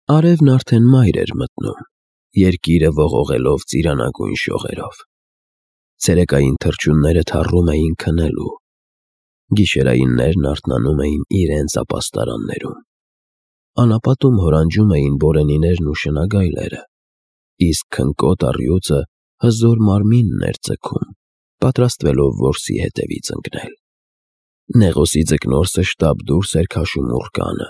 Արևն արդեն մայր էր մտնում, երկիրը ողողելով ծիրանագույն շողերով։ Ցերեկային թռչունները թառում էին քնելու, գիշերայիններն արթնանում էին իրենց ապաստարաններում։ Անապատում հորանջում էին բորենիներն ու շնագայլերը, իսկ քնկոտ առյուծը հզոր մարմինն էր ձգում, պատրաստվելով որսի հետևից ընկնել։ Նեղոսի ձկնորսը շտապ դուրս էր քաշում ուռկանը,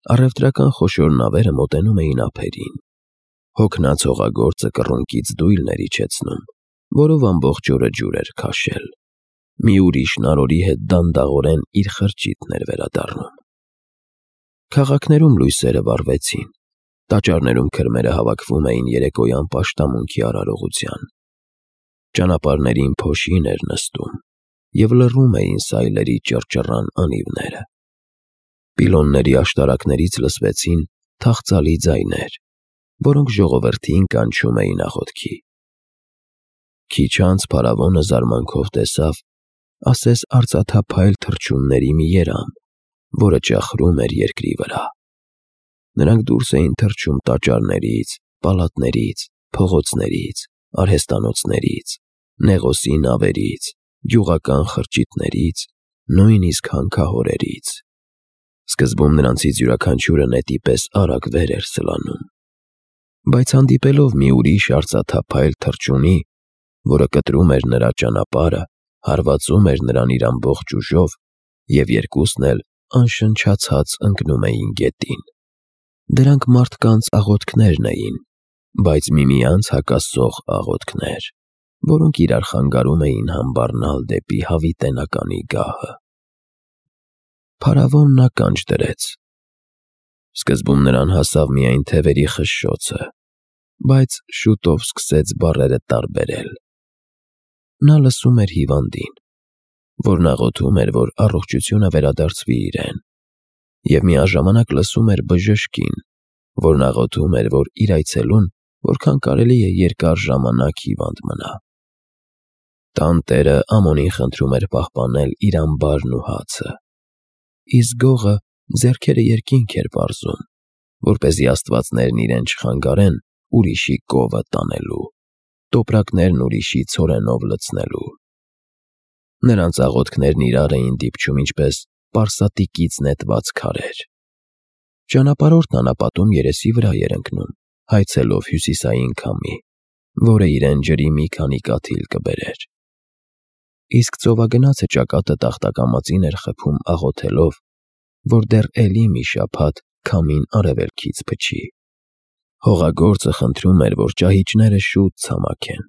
առևտրական խոշոր նավերը մոտենում էին ափերին։ Հոգնած հողագործը կռունկից դույլն էր իջեցնում, որով ամբողջ օրը ջուր էր քաշել։ Մի ուրիշ նարորի հետ դանդաղորեն իր խրճիթն էր վերադառնում։ Քաղաքներում լույսերը վառվեցին, տաճարներում քրմերը հավաքվում էին երեկոյան պաշտամունքի արարողության։ Ճանապարհներին փոշին էր նստում և լռում էին սայլերի ճռճռան անիվները։ Պիլոնների աշտարակներից լսվեցին թախծալի ձայներ, որոնք ժողովրդին կանչում էին աղոթքի։ Քիչ անց փարավոնը զարմանքով տեսավ ասես արծաթափայլ թռչունների մի երամ, որը ճախրում էր երկրի վրա։ Նրանք դուրս էին թռչում տաճարներից, պալատներից, փողոցներից, արհեստանոցներից, նեղոսի նավերից, գյուղական խրճիթներից, նույնիսկ հանքահորերից։ Սկզբում նրանցից յուրաքանչյուրը նետի պես արագ վեր էր սլանում, բայց հանդիպելով մի ուրիշ արծաթափայլ թռչունի, որը կտրում էր նրա ճանապարհը, հարվածում էր նրան իր ամբողջ ուժով, և երկուսն էլ անշնչացած ընկնում էին գետին։ Դրանք մարդկանց աղոթքներն էին, բայց միմյանց հակասող աղոթքներ, որոնք իրար խանգարում էին համբառնալ դեպի հավիտենականի գահը։ Փարավոնն ականջ դրեց։ Սկզբում նրան հասավ միայն թևերի խշշոցը, բայց շուտով սկսեց բառերը տարբերել։ Նա լսում էր հիվանդին, որն աղոթում էր, որ առողջությունը վերադարձվի իրեն, և միաժամանակ լսում էր բժշկին, որն աղոթում էր, որ իր այցելուն որքան կարելի է երկար ժամանակ հիվանդ մնա։ Տանտերը Ամոնին խնդրում էր պահպանել իր ամբարն ու հացը, իսկ գողը ձեռքերը երկինք էր պարզում, որպեսզի աստվածներն իրեն չխանգարեն ուրիշի կովը տանելու, տոպրակներն ուրիշի ցորենով լցնելու։ Նրանց աղոթքներն իրար էին դիպչում ինչպես պարսատիկից նետված քարեր։ Ճանապարհորդն անապատում երեսի վրա էր ընկնում, հայցելով հյուսիսային քամի, որը իրեն ջրի մի քանի կաթիլ կբերեր։ Իսկ ծովագնացը ճակատը տախտակամածին էր խփում աղոթելով, որ դեռ էլի մի շաբաթ քամին արևելքից փչի։ Հողագործը խնդրում էր, որ ճահիճները շուտ ցամաքեն,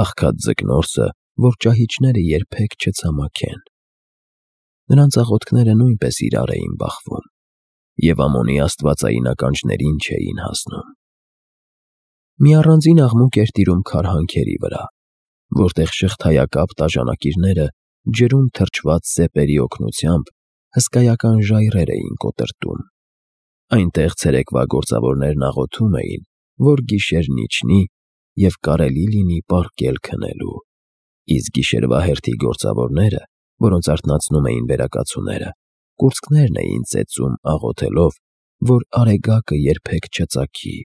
աղքատ ձկնորսը, որ ճահիճները երբեք չցամաքեն։ Նրանց աղոթքները նույնպես իրար էին բախվում, և Ամոնի աստվածային ականջներին չէին հասնում։ Մի առանձին աղմուկ էր տիրում քարհանքերի վրա, որտեղ շղթայակապ տաժանակիրները ջրում թրջված սեպերի օգնությամբ հսկայական ժայռեր էին կոտրտում։ Այնտեղ ցերեկվա գործավորներն աղոթում էին, որ գիշերն իջնի և կարելի լինի պառկել քնելու, իսկ գիշերվա հերթի գործավորները, որոնց արթնացնում էին վերակացուները, կուրծքներն էին ծեծում աղոթելով, որ արեգակը երբեք չծագի։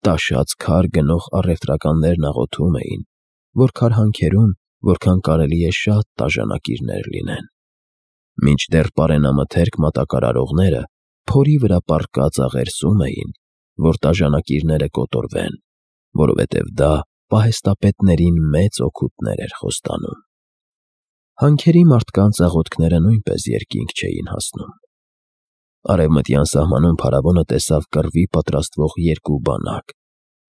Տաշած քար գնող առևտրականներն աղոթում էին, որ քարհանքերում որքան կարելի է շատ տաժանակիրներ լինեն։ Մինչդեռ պարենամթերք մատակարարողները փորի վրա պառկած աղերսում էին, որ տաժանակիրները կոտորվեն, որովհետև դա պահեստապետներին մեծ օգուտներ էր խոստանում։ Հանքերի մարդկանց աղոթքները նույնպես երկինք չէին հասնում։ Արևմտյան սահմանում փարավոնը տեսավ կռվի պատրաստվող երկու բանակ։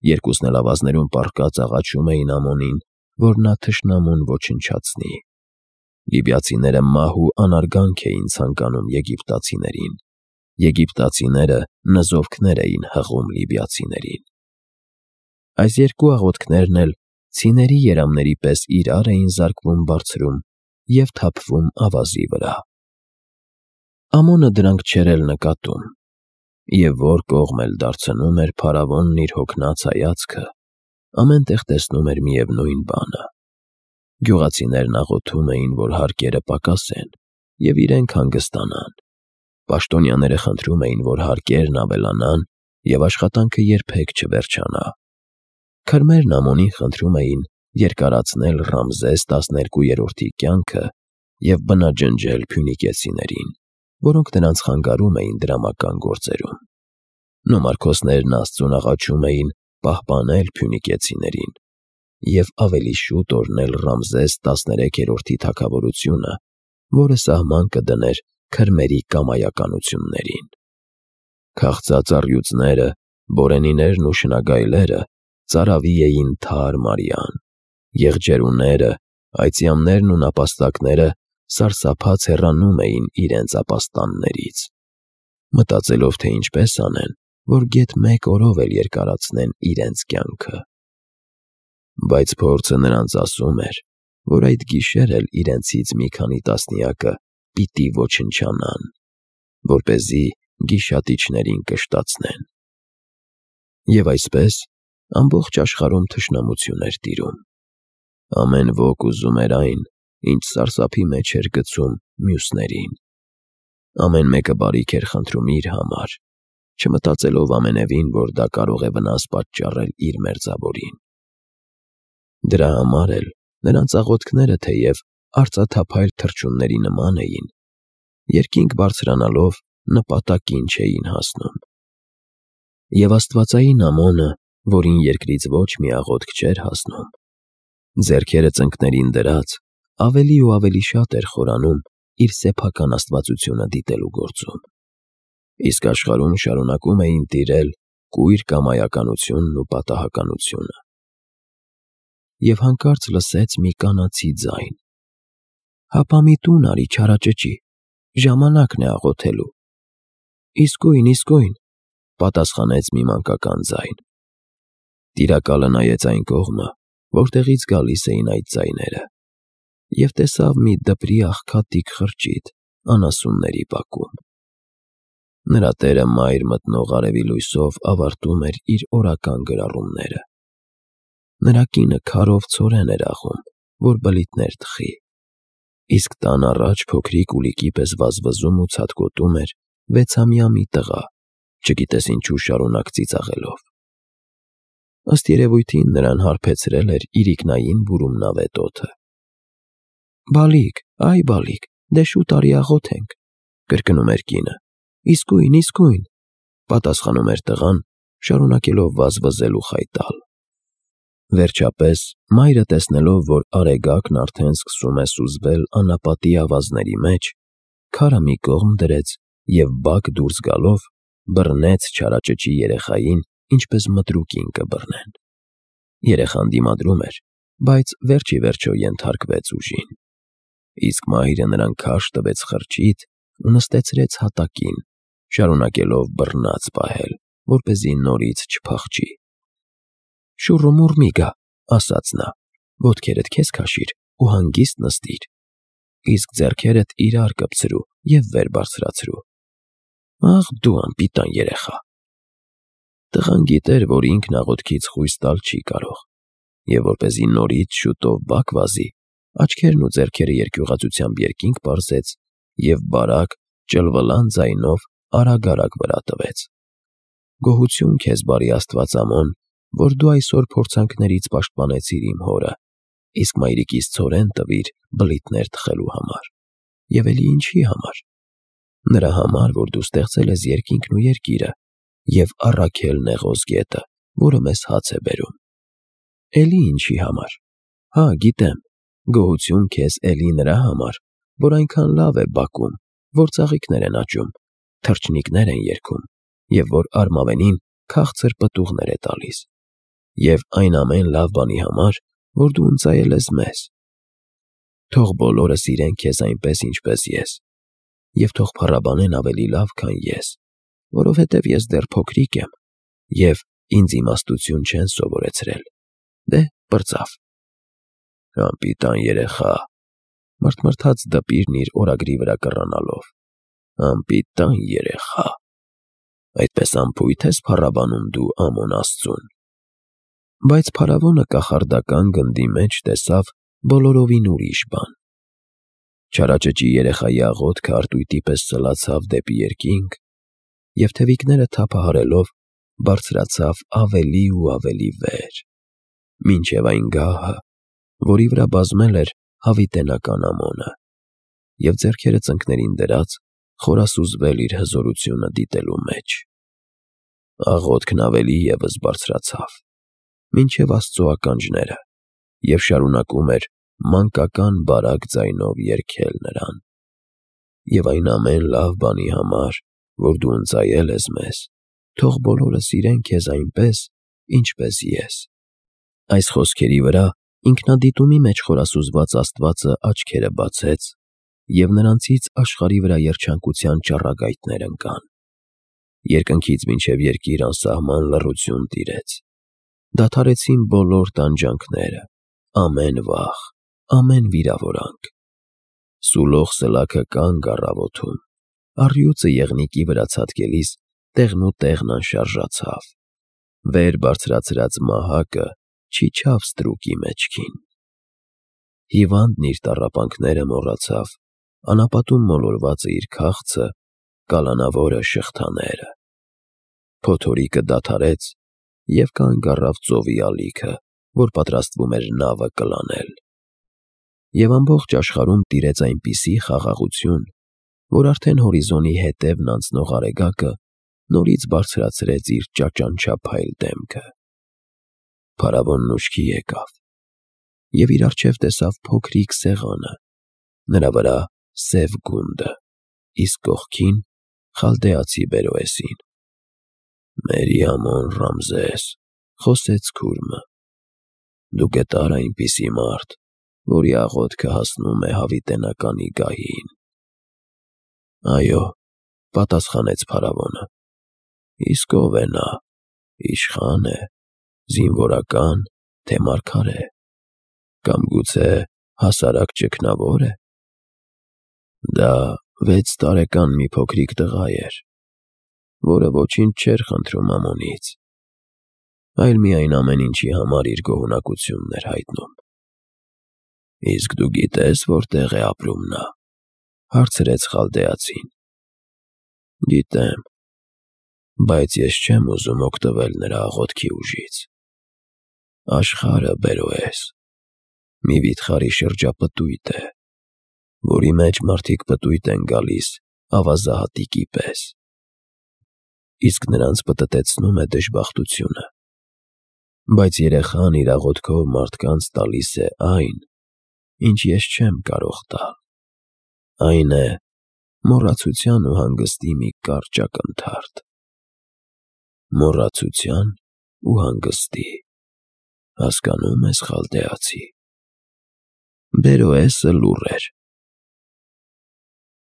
Երկուսն էլ ավազներում պառկած աղաչում էին Ամոնին, որ նա թշնամուն ոչնչացնի։ Լիբիացիները մահ ու անարգանք էին ցանկանում եգիպտացիներին։ Եգիպտացիները նզովքներ էին հղում լիբիացիներին։ Այս երկու աղոթքներն էլ ցիների երամների պես իրար էին զարկվում բարձրում և թափվում ավազի վրա։ Ամոնը դրանք չէր էլ նկատում, և որ կողմ էլ դարձնում էր փարավոնն իր հոգնած հայացքը, ամեն տեղ տեսնում էր միևնույն բանը։ Գյուղացիներն աղոթում էին, որ հարկերը պակասեն և իրենք հանգստանան։ Պաշտոնյաները խնդրում էին, որ հարկերն ավելանան և աշխատանքը երբեք չվերջանա։ Քրմերն Ամոնին խնդրում էին երկարացնել Ռամզես 12-րդի կյանքը և բնաջնջել փյունիկեցիներին, որոնք նրանց խանգարում էին դրամական գործերում։ Նոմարքոսներն Աստծուն աղաչում էին պահպանել փյունիկեցիներին և ավելի շուտ օրհնել Ռամզես 13-րդի թագավորությունը, որը սահման կդներ քրմերի կամայականություններին։ Քաղցած առյուծները, բորենիներն ու շնագայլերը ծարավի էին թարմարյան, եղջերուները, այծյամներն ու նապաստակները սարսափած հեռանում էին իրենց ապաստաններից, մտածելով, թե ինչպես անեն, որ գեթ մեկ օրով էլ երկարացնեն իրենց կյանքը։ Բայց փորձը նրանց ասում էր, որ այդ գիշեր էլ իրենցից մի քանի տասնյակը պիտի ոչնչանան, որպեսզի գիշատիչներին կշտացնեն։ Եվ այսպես ամբողջ աշխարհում թշնամություն էր տիրում։ Ամեն ոք ուզում էր այն, ինչ սարսափի մեջ էր գցում մյուսներին։ Ամեն մեկը բարիք էր խնդրում իր համար, չմտածելով ամենևին, որ դա կարող է վնաս պատճառել իր մերձավորին։ Դրա համար էլ նրանց աղոթքները թեև արծաթափայլ թռչունների նման էին, երկինք բարձրանալով նպատակին չէին հասնում։ Եվ աստվածային Ամոնը, որին երկրից ոչ մի աղոթք չէր հասնում, ձեռքերը ծնկներին դրած, ավելի ու ավելի շատ էր խորանում իր սեփական աստվածությունը դիտելու գործում։ Իսկ աշխարհում շարունակում էին տիրել կույր կամայականությունն ու պատահականությունը։ Եվ հանկարծ լսեց մի կանացի ձայն. «Հապա մի տուն արի չարաճճի, ժամանակն է աղոթելու»։ Իսկույն, պատասխանեց մի մանկական ձայն։ Տիրակալը նայեց այն կողմը, որտեղից գալիս էին այդ ձայները, և տեսավ մի դպրի աղքատիկ խրճիթ անասունների բակում։ Նրա տերը մայր մտնող արևի լույսով ավարտում էր իր օրական գրառումները։ Նրա կինը քարով ցորեն էր աղում, որ բլիթներ թխի, իսկ տան առաջ փոքրիկ ուլիկի պես վազվզում ու ցատկոտում էր 6-ամյա մի տղա, չգիտես ինչու շարունակ ծիծաղելով։ Ըստ երևույթին նրան հարբեցրել էր իրիկնային բուրումնավետ օդը։ «Բալիկ, դե շուտ արի աղոթենք», կրկնում էր կինը։ Իսկույն, պատասխանում էր տղան, շարունակելով վազվզել ու խայտալ։ Վերջապես, մայրը տեսնելով, որ արեգակն արդեն սկսում է սուզվել անապատի ավազների մեջ, քարը մի կողմ դրեց և բակ դուրս գալով բռնեց չարաճճի երեխային, ինչպես մտրուկին կբռնեն։ Երեխան դիմադրում էր, բայց վերջ ի վերջո ենթարկվեց ուժին։ Իսկ մայրը նրան քարշ տվեց խրճիթ ու նստեցրեց հատակին, շարունակելով բռնած պահել, որպեսզի նորից չփախչի։ «Շուռումուռ մի գա», ասաց նա, «ոտքերդ քեզ քաշիր ու հանգիստ նստիր, իսկ ձեռքերդ իրար կպցրու և վեր բարձրացրու»։ Աղ դու անպիտան երեխա։ Տղան գիտեր, որ ինքն աղոթքից խույս տալ չի կարող, և որպեսզի նորից շուտով բակ վազի, աչքերն ու ձեռքերը երկյուղածությամբ երկինք պարզեց և բարակ, ճլվլան ձայնով արագ վրա տվեց. «Գոհություն քեզ, բարի Աստված Ամոն, որ դու այսօր փորձանքներից պաշտպանեցիր իմ հորը, իսկ մայրիկիս ցորեն տվիր բլիթներ թխելու համար։ Եվ էլի ինչի համար։ Նրա համար, որ դու ստեղծել ես երկինքն ու երկիրը և առաքել նեղոզ գետը, որը մեզ հաց է բերում։ Էլի ինչի համար։ Հա, գիտեմ, գոհություն քեզ էլի նրա համար, որ այնքան լավ է բակում, որ ծաղիկներ են աճում, թռչնիկներ են երգում, և որ արմավենին քաղցր պտուղներ է տալիս, և այն ամեն լավ բանի համար, որ դու ընծայել ես մեզ։ Թող բոլորը սիրեն քեզ այնպես, ինչպես ես, և թող փառաբանեն ավելի լավ, քան ես, որովհետև ես դեռ փոքրիկ եմ, և ինձ իմաստություն չեն սովորեցրել։ Դե, պրծավ»։ «Անպիտան երեխա», մռթմռթաց դպիրն իր օրագրի վրա կռանալով, «անպիտան երեխա, այդպես անփույթ ես փառաբանում դու Ամոն Աստծուն»։ Բայց փարավոնը կախարդական գնդի մեջ տեսավ բոլորովին ուրիշ բան։ Չարաճճի երեխայի աղոթքը արտույտի պես սլացավ դեպի երկինք, և թևիկները թափահարելով բարձրացավ ավելի ու ավելի վեր, մինչև այն գահը, որի վրա բազմել էր հավիտենական ամոնը, և ձեռքերը ծնկներին դրած խորասուզվել իր հզորությունը դիտելու մեջ։ Աղոթքն ավելի ևս բարձրացավ, մինչև Աստծո ականջները, և շարունակում էր մանկական բարակ ձայնով երգել նրան. «Եվ այն ամեն լավ բանի համար, որ դու ընծայել ես մեզ, թող բոլորը սիրեն քեզ այնպես, ինչպես ես»։ Այս խոսքերի վրա ինքնադիտումի մեջ խորասուզված Աստվածը աչքերը բացեց, և նրանցից աշխարհի վրա երջանկության ճառագայթներ ընկան։ Երկնքից մինչև երկիր անսահման լռություն տիրեց։ Դադարեցին բոլոր տանջանքները, ամեն վախ, ամեն վիրավորանք։ Սուլող սլաքը կանգ առավ օդում, առյուծը եղնիկի վրա ցատկելիս տեղնուտեղն անշարժացավ, վեր բարձրացրած մահակը չիջավ ստրուկի մեջքին։ Հիվանդն իր տառապանքները մոռացավ, անապատում մոլորվածը իր քաղցը, կալանավորը շղթաները։ Փոթորիկը դադարեց և կանգ առավ ծովի ալիքը, որ պատրաստվում էր նավը կլանել։ Եվ ամբողջ աշխարհում տիրեց այնպիսի խաղաղություն, որ արդեն հորիզոնի հետևն անցնող արեգակը նորից բարձրացրեց իր ճաճանչափայլ դեմքը։ Փարավոնն ուշքի եկավ և իր առջև տեսավ փոքրիկ սեղանը, նրա վրա սև գունդը, իսկ կողքին խալդեացի Բերոեսին։ «Մերի ամոն Ռամզես», խոսեց քուրմը, «դու գտար այնպիսի մարդ, որի աղոթքը հասնում է հավիտենականի գահին»։ «Այո», պատասխանեց փարավոնը, «իսկ ով է նա, իշխա՞ն է, զինվորակա՞ն, թե մարգարե, կամ գուցե հասարակ ճգնավո՞ր է»։ «Դա 6 տարեկան մի փոքրիկ տղա էր, որը ոչինչ չէր խնդրում Ամոնից, այլ միայն ամեն ինչի համար իր գոհունակությունն էր հայտնում»։ «Իսկ դու գիտե՞ս որտեղ է ապրում նա», հարցրեց խալդեացին։ «Գիտեմ, բայց ես չեմ ուզում օգտվել նրա աղոթքի ուժից։ Աշխարհը, Բերոես, մի վիթխարի շրջապտույտ է, որի մեջ մարդիկ պտույտ են գալիս ավազահատիկի պես, իսկ նրանց պտտեցնում է դժբախտությունը։ Բայց երեխան իր աղոթքով մարդկանց տալիս է այն, ինչ ես չեմ կարող տալ։ Այն է մոռացության ու հանգստի մի կարճ ակնթարթ»։ «Մոռացության ու հանգստի, հասկանո՞ւմ ես, խալդեացի»։ Բերոեսը լուռ էր,